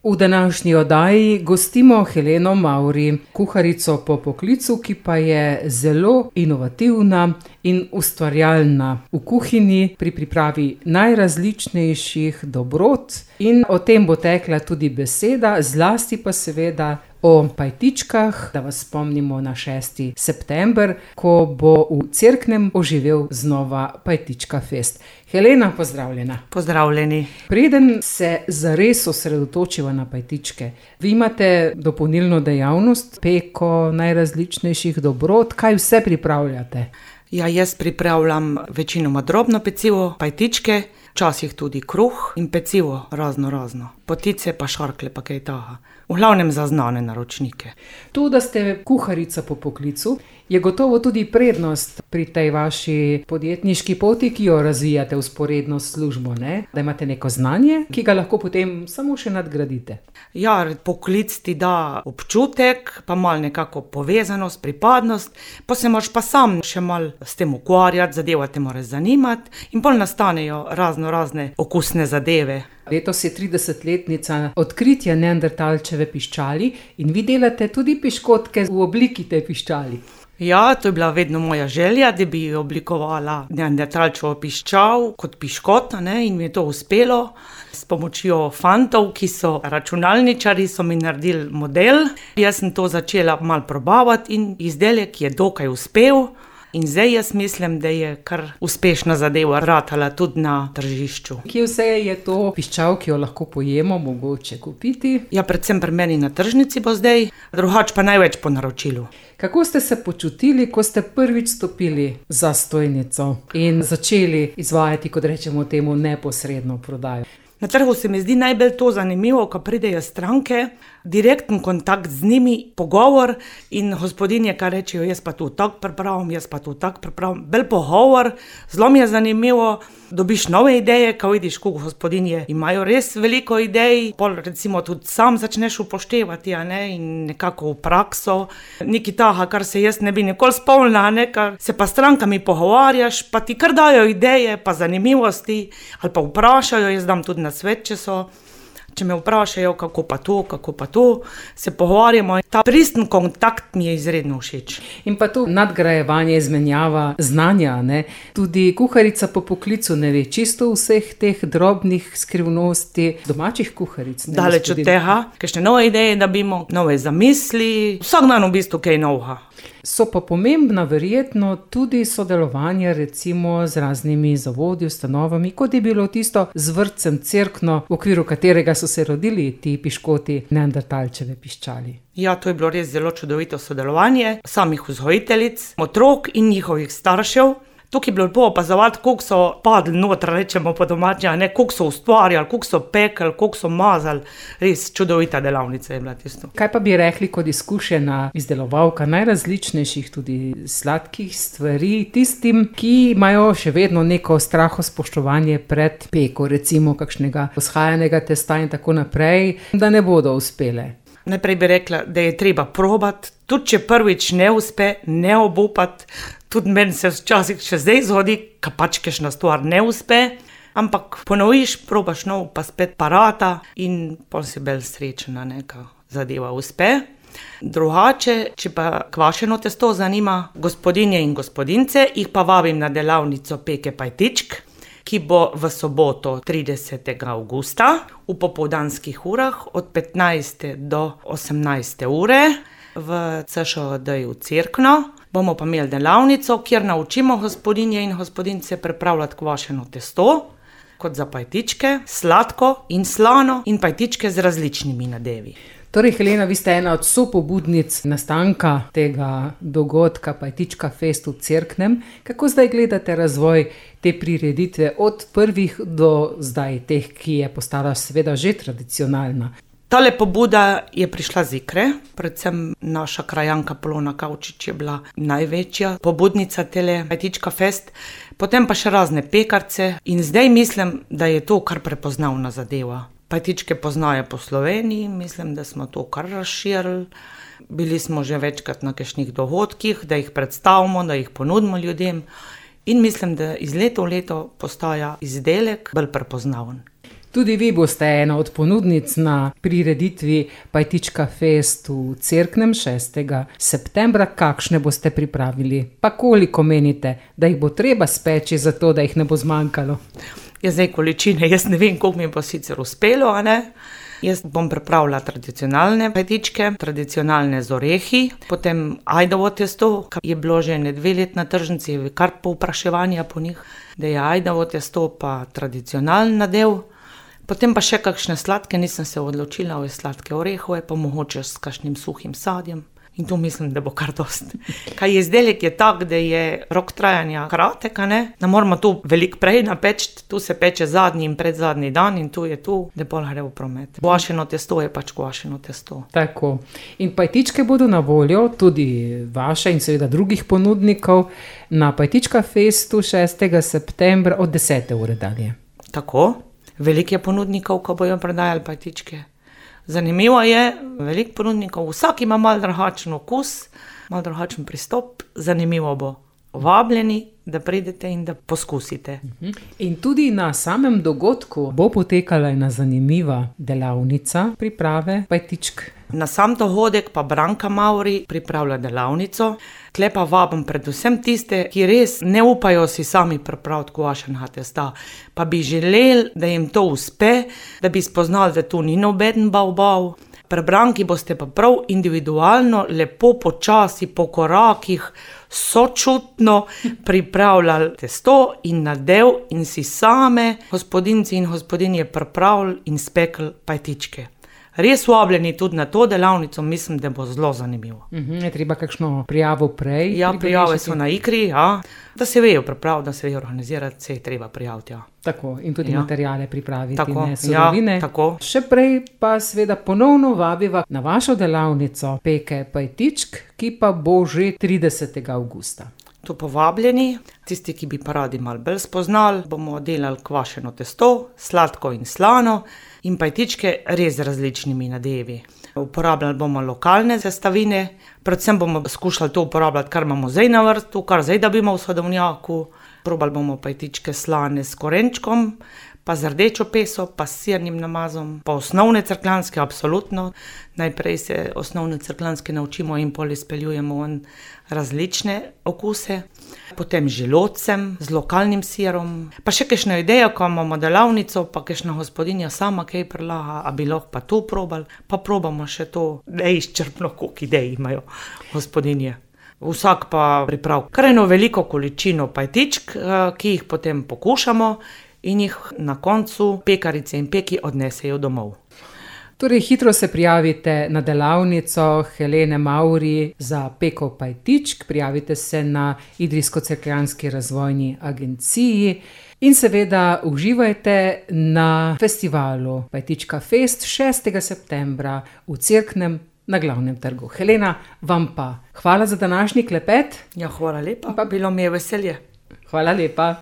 V današnji oddaji gostimo Heleno Mavri, kuharico po poklicu, ki pa je zelo inovativna in ustvarjalna v kuhinji pri pripravi najrazličnejših dobrot. In o tem bo tekla tudi beseda, zlasti pa seveda o pajtičkah, da vas spomnimo na 6. september, ko bo v Cerknem oživel znova Pajtička fest. Helena, pozdravljena. Pozdravljeni. Preden se zares osredotočiva na pajtičke, vi imate dopolnilno dejavnost, peko najrazličnejših dobrot, kaj vse pripravljate? Ja, jaz pripravljam večinoma drobno pecivo, pajtičke, včasih tudi kruh in pecivo razno. Potice pa šarkle pa kaj taha. V glavnem za znane naročnike. To, da ste kuharica po poklicu, je gotovo tudi prednost pri tej vaši podjetniški poti, ki jo razvijate vzporedno s službo, ne? Da imate neko znanje, ki ga lahko potem samo še nadgradite. Ja, poklic ti da občutek, pa malo nekako povezanost, pripadnost, pa se moraš pa sam še malo s tem ukvarjati, zadeva te mora zanimati in pol nastanejo razne okusne zadeve. Letos je 30-letnica odkritja neandertalčeve piščali in vi delate tudi piškotke v obliki te piščali. Ja, to je bila vedno moja želja, da bi oblikovala neandertalčevo piščal kot piškota, ne, in mi je to uspelo. S pomočjo fantov, ki so računalničari, so mi naredili model. Jaz sem to začela malo probavati in izdelek je dokaj uspel. In zdaj jaz mislim, da je kar uspešna zadeva ratala tudi na tržišču. Kje vse je to piščal, ki jo lahko pojemo, mogoče kupiti? Ja, predvsem pri meni na tržnici bo zdaj, drugače pa največ po naročilu. Kako ste se počutili, ko ste prvič stopili za stojnico in začeli izvajati, kot rečemo temu, neposredno prodajo? Na trgu se mi zdi najbolj to zanimivo, ko pridejo stranke, direkten kontakt z njimi, pogovor in gospodinje, kar rečejo, jaz pa tu tako pripravim, bolj pogovor, zelo mi je zanimivo, dobiš nove ideje, ko vidiš, kako gospodinje imajo res veliko idej, pol recimo tudi sam začneš upoštevati, a ne, in nekako v prakso, nekaj taha, kar se jaz ne bi nikoli spomnila, ne, kar se pa strankami pogovarjaš, pa ti kar dajo ideje, pa zanimivosti, ali pa vprašajo, jaz dam tudi na svet, če me vprašajo, kako pa to, se pogovarjamo. Ta pristen kontakt mi je izredno všeč. In pa to nadgrajevanje, izmenjava znanja, ne? Tudi kuharica po poklicu ne ve čisto vseh teh drobnih skrivnosti domačih kuharic. Daleč od tega, kakšne nove ideje, da bi imel nove zamisli, vsak dan v bistvu kaj novega. So pa pomembna verjetno tudi sodelovanje recimo z raznimi zavodi, ustanovami, kot je bilo tisto z vrtcem Cerkno, v okviru katerega so se rodili ti piškoti neandertalčeve piščali. Ja, to je bilo res zelo čudovito sodelovanje samih vzgojiteljic, otrok in njihovih staršev. Tukaj je bilo lepo opazovati, koliko so padli noter, rečemo po domače, ne, koliko so ustvarjali, koliko so pekli, koliko so mazali. Res čudovita delavnica je bila tisto. Kaj pa bi rekli kot izkušena izdelovalka najrazličnejših tudi sladkih stvari tistim, ki imajo še vedno neko strahospoštovanje pred peko, recimo kakšnega vzhajanega testa in tako naprej, da ne bodo uspele? Najprej bi rekla, da je treba probati, tudi če prvič ne uspe, ne obupati. Tudi meni se včasih še zdaj zgodi, ka pač kakšna stvar ne uspe, ampak ponoviš, probaš nov, pa spet parata in pol si bolj srečna, neka zadeva uspe. Drugače, če pa kvašeno testo zanima gospodinje in gospodince, jih pa vabim na delavnico peke pajtičk, ki bo v soboto 30. avgusta v popoldanskih urah od 15. do 18. ure v CŠOD-ju Cerkno. Bomo pa imeli delavnico, kjer naučimo gospodinje in gospodince pripravljati kvašeno testo, kot za pajtičke, sladko in slano in pajtičke z različnimi nadevi. Torej, Helena, vi ste ena od sopobudnic nastanka tega dogodka Pajtička fest v Cerknem. Kako zdaj gledate razvoj te prireditve od prvih do zdaj, teh, ki je postala seveda že tradicionalna? Tale pobuda je prišla z Ikre, predvsem naša krajanka Polona Kavčič je bila največja pobudnica tele Pajtička fest, potem pa še razne pekarce in zdaj mislim, da je to kar prepoznavna zadeva. Pajtičke poznajo po Sloveniji, mislim, da smo to kar razširili. Bili smo že večkrat na kakšnih dogodkih, da jih predstavimo, da jih ponudimo ljudem in mislim, da iz leta v leto postaja izdelek bolj prepoznaven. Tudi vi boste ena od ponudnic na prireditvi Pajtička Fest v Cerknem 6. septembra. Kakšne boste pripravili? Pa koliko menite, da jih bo treba speči za to, da jih ne bo zmanjkalo? Zdaj količine, jaz ne vem, koliko mi bo sicer uspelo, a ne? Jaz bom pripravila tradicionalne pajtičke, tradicionalne z orehi, potem ajdovo testo, ki je bilo že 2 leti na tržnici, kar povpraševanja po njih, da je ajdovo testo pa tradicionalen nadev. Potem pa še kakšne sladke, nisem se odločila, sladke orehove, pa mogoče s kakšnim suhim sadjem. In to mislim, da bo kar dost. Kaj izdelek je tak, da je rok trajanja kratek, ne? Ne moramo tu veliko prej napeči, tu se peče zadnji in predzadnji dan in tu je tu, da pol gre v promet. Kvašeno testo je pač kvašeno testo. Tako. In pajtičke bodo na voljo, tudi vaše in seveda drugih ponudnikov, na Pajtička Festu 6. septembra od 10. ure dalje. Tako. Veliko je ponudnikov, ko bojo prodajali pajtičke. Zanimivo je, veliko ponudnikov, vsak ima malo drugačen okus, malo drugačen pristop, zanimivo bo. Vabljeni, da pridete in da poskusite. In tudi na samem dogodku bo potekala ena zanimiva delavnica priprave pajtičk. Na sam dogodek pa Branka Mauri pripravlja delavnico. Tle pa vabim predvsem tiste, ki res ne upajo si sami pripraviti kvašenega testa, pa bi želeli, da jim to uspe, da bi spoznali, da tu ni nobeden bav. Pri Branki boste pa prav individualno, lepo počasi, po korakih, sočutno pripravljali testo in nadev in si same, gospodinci in gospodinje, pripravili in spekli pajtičke. Res vabljeni tudi na to delavnico, mislim, da bo zelo zanimivo. Je treba kakšno prijavo prej? Ja, prijave so na Ikri, ja. Da se vejo pripraviti, da se vejo organizirati, se je treba prijaviti, ja. Tako, in tudi materijale pripraviti, tako, ne surovine. Ja, tako. Še prej pa seveda ponovno vabiva na vašo delavnico peke pajtičk, ki pa bo že 30. avgusta. Tu povabljeni, tisti, ki bi pa radi malo bolj spoznali, bomo delali kvašeno testo, sladko in slano in pajtičke res z različnimi nadevi. Uporabljali bomo lokalne sestavine, predvsem bomo skušali to uporabljati, kar imamo zdaj na vrtu, kar zdaj dobimo v sadovnjaku. Probali bomo pajtičke slane s korenčkom, pa z rdečo peso, pa s sirnim namazom, pa osnovne cerkljanske, absolutno. Najprej se osnovne cerkljanske naučimo in pol izpeljujemo različne okuse. Potem želodcem, z lokalnim sirom. Pa še kakšna ideja, ko imamo delavnico, pa kakšna gospodinja sama kaj predlaga, a bi lahko pa to probali, pa probamo še to, neizčrpno, koliko idej imajo gospodinje. Vsak pa pripravi kar eno veliko količino pajtičk, ki jih potem pokušamo in jih na koncu pekarice in peki odnesejo domov. Torej, hitro se prijavite na delavnico Helene Mauri za peko pajtičk, prijavite se na Idrijsko-cerkljanski razvojni agenciji in seveda uživajte na festivalu Pajtička Fest 6. septembra v Cerknem na Glavnem trgu. Helena, vam pa hvala za današnji klepet. Ja, hvala lepa, pa bilo mi je veselje. Hvala lepa.